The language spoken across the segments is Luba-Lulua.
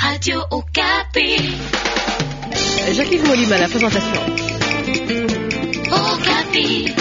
Radio Okapi. Jacques-Yves Molima, la présentation. Okapi.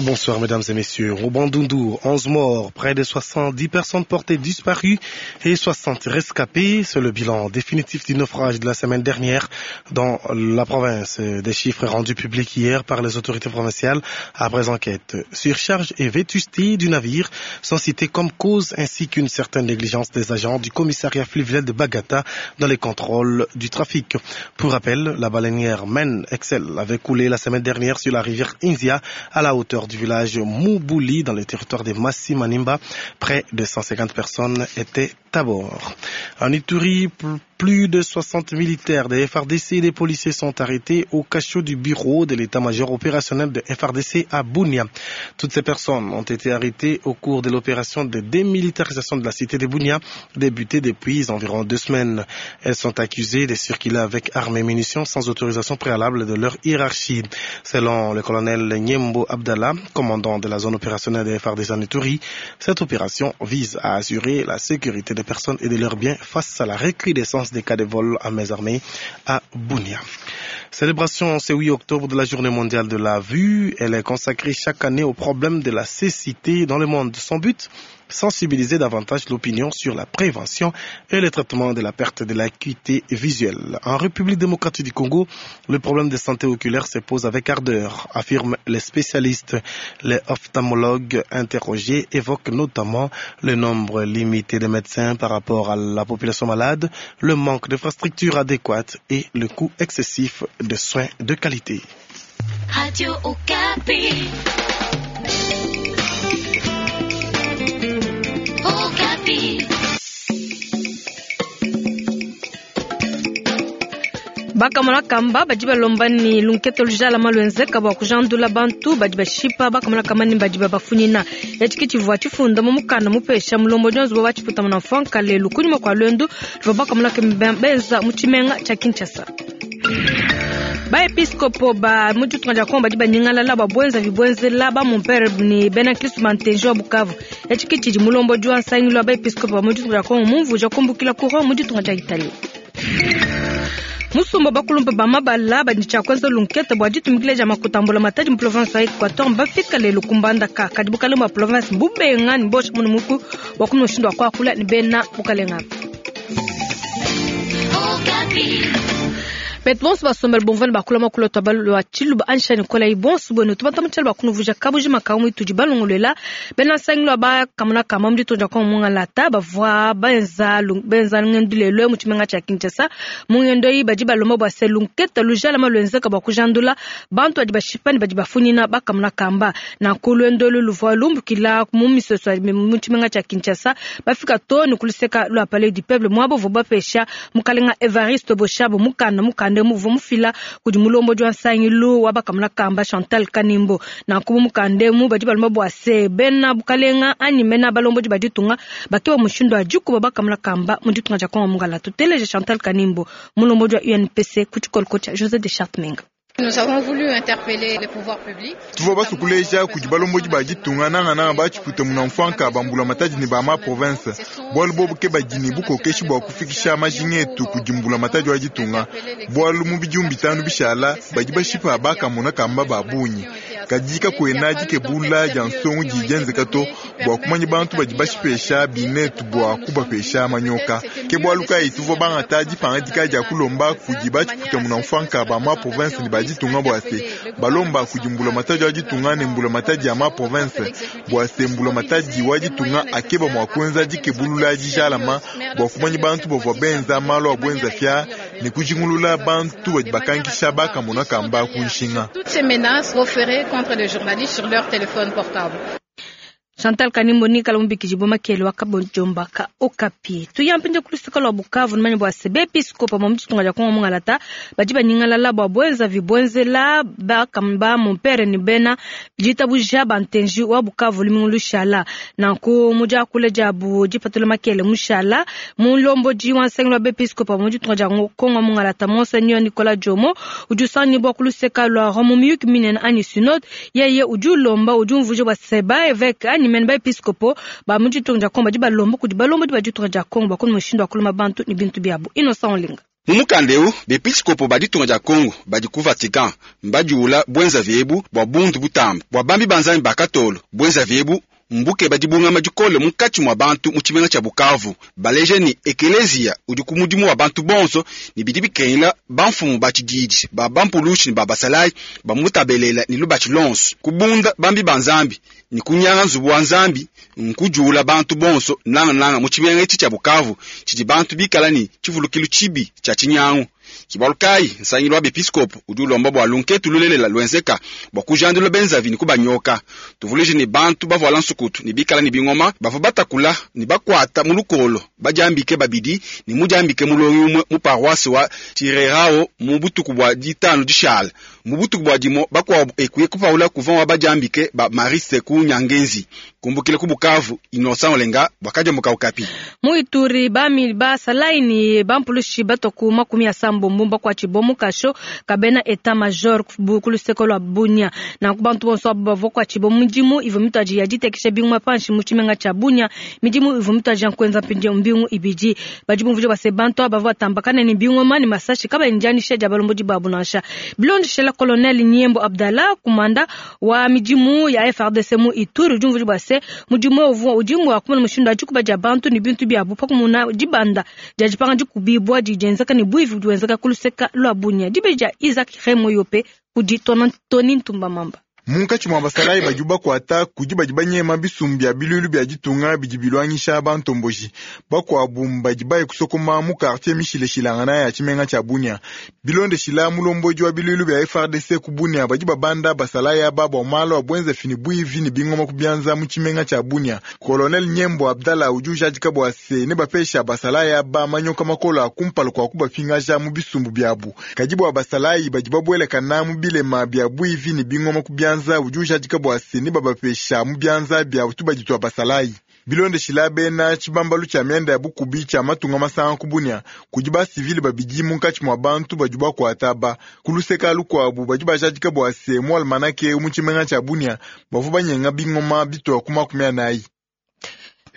Bonsoir mesdames et messieurs. Au Bandundu, 11 morts, près de 70 personnes portées disparues et 60 rescapées. C'est le bilan définitif du naufrage de la semaine dernière dans la province. Des chiffres rendus publics hier par les autorités provinciales après enquête. Surcharge et vétusté du navire sont cités comme cause ainsi qu'une certaine négligence des agents du commissariat fluvial de Bagata dans les contrôles du trafic. Pour rappel, la baleinière Men Excel avait coulé la semaine dernière sur la rivière Inzia à la hauteur du village Moubouli dans le territoire de Massi Manimba. Près de 150 personnes étaient à bord. En Ituri, plus de 60 militaires des FRDC et des policiers sont arrêtés au cachot du bureau de l'état-major opérationnel de FRDC à Bunia. Toutes ces personnes ont été arrêtées au cours de l'opération de démilitarisation de la cité de Bunia, débutée depuis environ deux semaines. Elles sont accusées de circuler avec armes et munitions sans autorisation préalable de leur hiérarchie. Selon le colonel Nyembo Abdallah, commandant de la zone opérationnelle des FRDC en Ituri, cette opération vise à assurer la sécurité des personnes et de leurs biens face à la recrudescence des cas de vol à mains armées à Bunia. Célébration ce 8 octobre de la Journée mondiale de la vue. Elle est consacrée chaque année au problème de la cécité dans le monde. Son but sensibiliser davantage l'opinion sur la prévention et le traitement de la perte de l'acuité visuelle. En République démocratique du Congo, le problème de santé oculaire se pose avec ardeur, affirment les spécialistes. Les ophtalmologues interrogés évoquent notamment le nombre limité de médecins par rapport à la population malade, le manque d'infrastructures adéquates et le coût excessif de soins de qualité. Radio Okapi. Okapi. Bakamona kamba badi balomba ni lunketo lujalama lwenzeka bua kujandula bantu badi bashipa bakamona kamba ni badi babafunyina etshi tshivua tshifunda mu mukanda mupesha mulombodi wa nzubu wa tshiputama na mfuanka lelu kunyima kua luendu luvua bakamona kamba benza mu tshimenga tshia Kinshasa. Baepiskopo ba mu ditunga dia Kongo badi banyingalala bua buenzavi buenzela ba mumpere ni bena Kristo ba wa Bukavu. Etshi ke tshidi mulombodi wa nsangilu wa baepiskopo ba mu ditunga dia Kongo mumvuija kumbukila ku Rome mu ditunga dia Italie. Musumba bakulumpa ba mabala badi tshia kuenza lunkete bua ditumikila dia makuta a mbulamatadi mu province wa Equateur mbafika lelu ku Mbandaka. Kadi bukalenga bua province mbubenga ne bosha munu muku bua kumona mushindu wa kuakula ne bena bukalenga. Okapi. Betu bonso basombela bumvua ne bakula muakulu wa lua tshiluba anyi nikola yi bonso buenu tubata mu tshialu bakunuvuija kabujima ka mu itudi balongoluela bena nsangilu wa bakamona kamba mu ditunga dia Kongo mungalata bavua benza benza ngendu lelu mu tshimenga tshia Kinshasa. Mu ngendo eyi badi balomba bua se lunketa lujalama luenzeka bua kujandula bantu badi bashipa ne badi bafunyina bakamona kamba. Nanku luendo elu luvua lumbukila mu misoso mu tshimenga tshia Kinshasa bafika too ne ku luseka lua Palais du Peuple muaba uvua bapesha mukalenga Evariste Boshab mukanda mukanda muvua mufila kudi mulombodi wa nsangilu wa bakamona kamba Chantal Kanimbo. Nanku mu mukanda emu badi balomba bua se bena bukalenga anyi mena balombodi ba ditunga bakeba mushindu wa dikuba bakamona kamba mu ditunga dia Kongo mungala. Tuteleje Chantal Kanimbo mulombodi wa UNPC ku tshikoloko tshia José de Chartmenga. Nous avons voulu interpeller les pouvoirs publics. Tuvua basukuleja kudi balombodi ba ditunga nangananga batshiputa muna mfuanka ba mbulamatadi ne ba ma province bualu bobu ke badi ne bukokeshi bua kufikisha majinga etu kudi mbulamatadi wa ditunga bualu mu bidimu bitanu bishala badi bashipa bakamona kamba ba bungi kadi kakuena dikebula dia nsongo didi dienzeka to bua kumanya bantu badi bashipesha binetu bua kubapesha manyoka ke bualu kayi tuvua bangata dipangadika dia kulomba kudi batshiputa muna mfuanka ba ma province ne ba ditunga bua se balomba kudi mbulamatadi wa ditunga ne mbulamatadi ya ma province bua se mbulamatadi wa ditunga akeba mua kuenza dikebulula dijalama bua kumanya bantu bavua benza malu a buenza fia ne kujingulula bantu badi bakankisha bakamona kamba ku nshinga. Toutes ces menaces proférées contre les journalistes sur leur téléphone portable. Chantal Kanimbo nikala mubikidi bwa makele wa kabojomba ka Okapi. Tuyampinde kulusika lwa Bukavu numanya bua se bepiskopo ba mu ditunga dia Kongo mungalata badi banyingalala bua buenzavi buenzela bakamba mumpere ne bena ditabuja ba ntenji wa Bukavu lumingu lushala. Nanku mu diakula diabu dipatula makele mushala mulombodi wa nsangilu wa bepiskopo ba mu ditunga dia Kongo mungalata Monseigneur Nicolas Djomo udi usangibua kuluseka lua Rome miyuki minene anyi synode yeye udi ulomba udi umvuija bua se ba évêque anyi mene ba episkopo ba mu ditunga dia Kongo badi balomba kudi balombodi ba ditunga dia Kongo bua kumona mushindu wa kulama bantu ne bintu biabu. Innocent Olinga. Mu mukanda eu, bepiskopo ba ditunga dia Kongo badi ku Vatican mbadiula bwenzavi ebu bua bundu butamba bua bambi ba Nzambi ba katolo. Bwenzavi ebu mbukeba dibungama dikole munkatshi mua bantu mu tshimenga tshia Bukavu, baleja ne ekeleziya udi ku mudimu wa bantu bonso ne bidi bikengela bamfumu ba tshididi ba bampulushi ne ba basalayi bamutabelela ne lubatshi lonso. Kubunda bambi ba Nzambi ne kunyanga nzubu wa Nzambi nkudiula bantu bonso, nangananga mu tshimenga etshi tshia Bukavu tshidi bantu bikala ne tshivulukilu tshibi tshia tshinyangu. Kibalu kayi nsangilu wa bepiskopo udi ulomba bua lunketu lulelela luenzeka bua kujandula benzavi ne kubanyoka. Tuvuluije ne bantu bavuala nsukutu ne bikala ne bingoma bavua batakula ne bakuata mu lukolo badiambike babidi ne mudiambike mulongi umue mu paroisse wa Chirerao mu butuku bua ditanu dishala. Mu butuku bua dimo bakuabu ekuye kupaula couvent wa badiambike ba Mariste ku Nyangenzi. Kumbukila ku Bukavu, Innocent Olenga bwakadiambuka Okapi. Mu Ituri bami basalayi ne bampulushi batwa ku makumi asambombo bakuatshibua mu kasho kabena etat major ku luseke lua Bunia. Nanku bantu bonso abo bavua kuatshibua midimu ivua mituadi ya ditekesha bingoma panshi mu tshimenga tshia Bunia. Midimu ivua mituadi ya kuenza mpindieu mbingu ibidi. Badi bumvuija bua se bantu aba bavua batambakana ne bingoma ne masashi kabayi ne dianyisha dia balombodi babu nansha. Bilondeshela Colonel Nyembo Abdallah, kumanda wa midimu ya FARDC mu Ituri, udi umvuija bua se mudimu uvua udi mua kumona mushindu wa dikuba dia bantu ne bintu biabu pa kumona dibanda dia dipanga dikubibua didi dienzeka ne buivi budi buenzeka ku luseka lua Bunia. Dibeji dia Isaac Remoyope kudi Tony Ntumba Mamba. Munkatshi mua basalayi badi bakuata kudi badi banyema bisumbu bia bilulu bia ditunga bidi bilwangisha bantomboji. Bakuabu badi baye kusokoma mu quartier mishileshilangana ya tshimenga tshia Bunia. Bilondeshila mulombodi wa bilulu bia FARDC ku Bunia, badi babanda basalayi aba bua malu a bwenzafi ne buivi ne bingoma ku bianza mu tshimenga tshia Bunia. Colonel Nyembo Abdallah udi ujadika bua se ne bapesha basalayi aba manyoka makola kumpala kua kubapingaja mu bisumbu biabu. Kadi bua basalayi badi babuelakana mu bilema bia buivi ne bingoma ku bianza, udi ujadika bua se ne babapesha mu bianza bia tubadi tua basalayi. Bilondeshila bena tshibambalu tshia mianda ya bukubi tshia matunga masanga ku Bunia, kudi basivile babidi munkatshi mua bantu badi bakuata aba. Ku luseka lukuabu badi bajadika bua se mu almanake mu tshimenga tshia Bunia bavua banyenga bingoma bitua ku 40.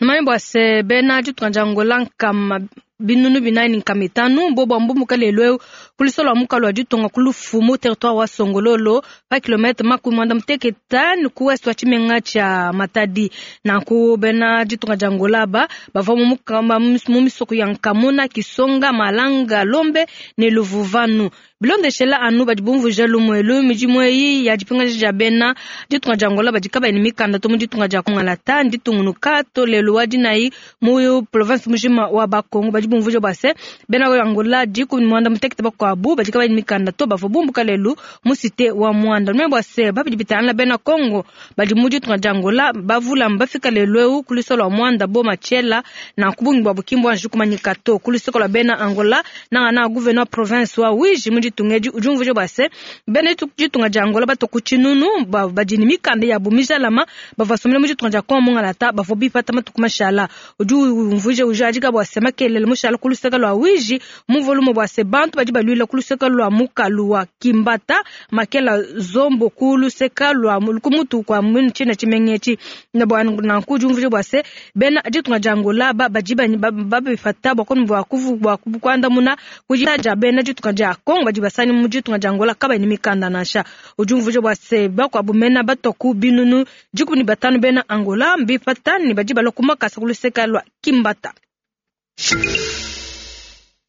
Numanye bua se bena ditunga dia Angola nkama binunu binayi ne nkama itanu bobo ambumuka lelu eu ku lusolo lua mukalu wa ditunga ku Lufu mu territoire wa Songololo pa kilomètre 55 ku ouest wa tshimenga tshia Matadi. Nanku bena ditunga dia Angola aba bavua mu misoko ya Nkamuna, Kisonga, Malanga, Lombe ne Luvuvanu. Bilondeshela anu badi bumvuija lumuelu midimu eyi ya dipingaja dia bena ditunga dia Angola badi kabayi ne mikanda to mu ditunga dia Kongalata nditungunuka to lelu wa dinayi mu province mujima wa Bakongo. Badi bumvuija bua se bena Angola 16 bakuabu badi kabayi ne mikanda to bavua bumbuka lelu mu cité wa Mwanda. Numanye bua se babidi bitangila bena Kongo badi mu ditunga dia Angola bavula mbafika lelu eu ku luseke lua Mwanda bo Machela na kubungi bua bukimbu anji kumanyika to ku luseke lua bena Angola nanga na gouverneur province wa Uíge mu ditunga edi udi umvuija bua se bena ditunga dia Angola bato ku tshinunu badi ne mikanda ya bumijalama bavua basomela mu ditunga dia Kongo mungalata bavua bipata matuku mashala. Udi umvuija ujadika bua se makelele mushala ku luseke lua Uíge mu volume bua se bantu badi baluila ku luseke lua mukalu wa Kimbata makela zombo ku luseke lua kumutu kwa tshina tshimenga etshi. Na bua nanku udi umvuija bua se bena ditunga dia Angola badi babifata bua bua kuandamuna kudi dia bena ditunga dia Kongo badi basani mu ditunga dia Angola kabayi ne mikanda nansha. Udi umvuija bua se bakuabu mena batwa ku binunu 15 bena Angola mbipata ne badi balua ku makasa ku luseke lua Kimbata.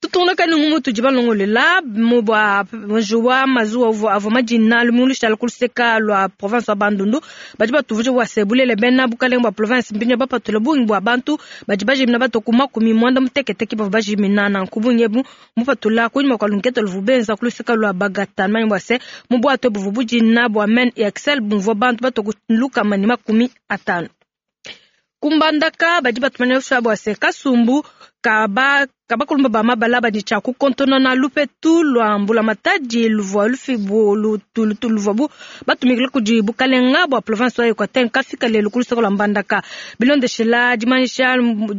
Tutungunuka ne ngumu tudi balongolela mu bua njuwa mazuwa avua madina lumingu ku luseka lua province wa Bandundu. Badi batuvuja bua se bulele bena bukalenge bua province mbinya bapatula bungi bua bantu badi bajimina bato ku 80 ke bavua bajimina nanku bungi ebu mupatula kunyima kua lunkete luvu benza ku luseka lua Bagata. Numanye bua se mu bwato buvua budina bua Men Excel bumvua bantu bato ku 150. Kumbandaka badi batumanya bua se kasumbu Ka ba kabakulumba ba mabala badi tshia kukontonona lupetu lua mbulamatadi luvua lufibu luvuabu batumikila kudi bukalenga bua province wa Equateur nkafika lelu ku luseke lua Mbandaka. Bilondeshela dimanyisha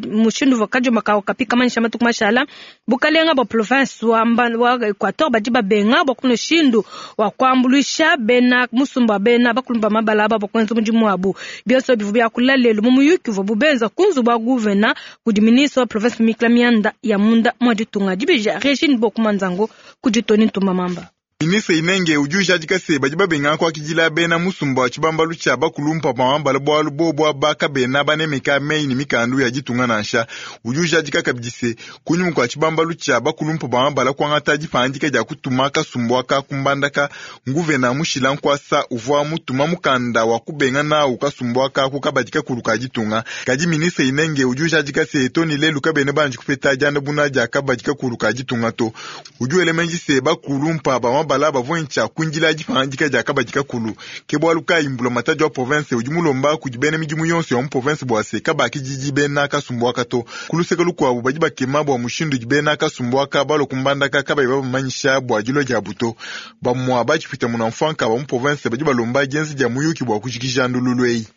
mushindu uvua kadiomba ka Okapi kamanyisha matuku mashala, bukalenga bua province wa Equateur badi babenga bua kuna mushindu wa kuambuluisha bena musumba wa bena bakulumba mabala aba bua kuenza mudimu wabu. Bionso bivua biakula lelu mu muyuki uvuabu benza ku nzubu wa guvena kudi ministre wa province Mikla Mianda ya munda mwa ditunga dibija Regine Bokumanzango kudi Tony Ntumba Mamba. Ministre Inenge udi ujadika se badi babenga kuakidila bena musumba wa tshibambalu tshia bakulumpa pa mabala bualu bobu aba kabena banemeka meyi ne mikandu ya ditunga nansha. Udi ujadika kabidi se kunyima kua tshibambalu tshia bakulumpa pa mabala kuangata dipangadika dia kutuma kasumbu aka ku Mbandaka, nguvena mushila nkuasa uvua mutuma mukanda wa kubenga nawu kasumbu aka ku kabadi kakulu ka ditunga. Kadi ministre Inenge udi ujadika se too ne lelu kabena banji kupeta diandamuna dia kabadi kakulu ka ditunga to. Udi wela meji se bakulumpa ba mabala bavua ntshia kuindila dipangadika dia kabadi kakulu. Ke bualu kayi mbulamatadi wa province udi mulomba kudi bena midimu yonso ya mu province bua se kabakididi bena kasumbu aka to. Ku luseke lukuabu badi bakema bua mushindu udi bena kasumbu aka balua ku Mbandaka kabayi babamanyisha bua dilua diabu to. Bamua batshipwita munamfuanka ba mu province badi balomba dienza dia muyuki bua kujikija ndululu eyi.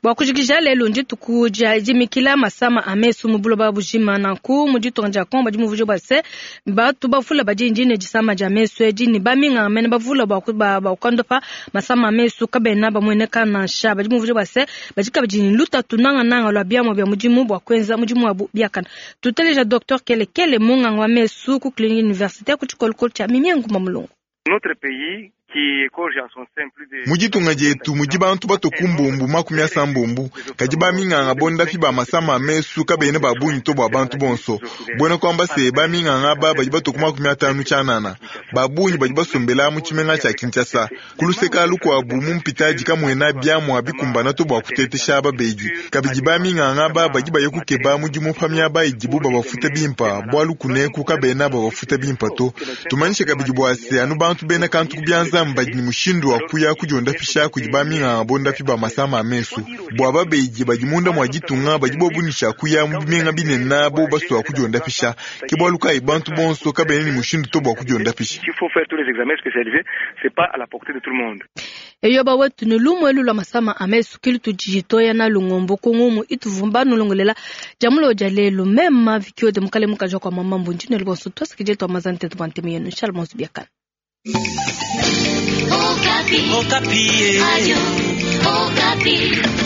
Bua kujikija lelu ndituku dia dimikila masama a mesu mu buloba bujima. Nanku mu ditunga dia Kongo badi muvuja bua se batu bavula badi ndine disama dia mesu edi ne baminganga mene bavula bua kuondopa masama a mesu kabena bamueneka nansha. Badi muvuja bua se badi kabidi ne lutatu nangananga lua biamua bia mudimu bua kuenza mudimu wabu biakana. Tuteleja Dr Kelekele munganga wa mesu ku clinique universitaire ku tshikolokolo tshia Mimie Ngumba Mulongo. Notre pays Mu ditunga dietu mudi bantu batue ku mbumbu 80, kadi baminganga bondapi ba masama a mesu kabena ba bungi to bua bantu bonso. Buena kuamba se baminganga aba badi batue ku 50 tshianana. Ba bungi badi basombela mu tshimenga tshia Kinshasa. Ku luseka lukuabu mu mpitadi kamuena biamua bikumbana to bua kutetesha babedi. Kabidi baminganga aba badi baya kukeba mudimu pa miaba idibu babafuta bimpa, bualu kuneku kabena babafuta bimpa to. Tumanyishe kabidi bua se anu bantu bena kantu ku bianza badi ne mushindu wa kuya kudiondapisha kudi baminganga bondapi ba masama a mesu. Bua babedi badi munda mua ditunga badi bobu ne tshia kuya mu bimenga binene bo basua kudiondapisha. Ke bualu kayi bantu bonso kabena ne mushindu to bua kudiondapisha. Il faut faire tous les examens spécialisés, c'est pas à la portée de tout le monde. Eyoba wetu ne lumue lulua masama a mesu kili tudi toya na lungombo ku ngumu ituvumba nulongolela jamulo dia lelu mema vikio de mukale mukaji kwa mama mbunji ne libonso twasikije twa mazante tu bantemu yenu shalom biakana. Okapi. Okapi. Radio Okapi.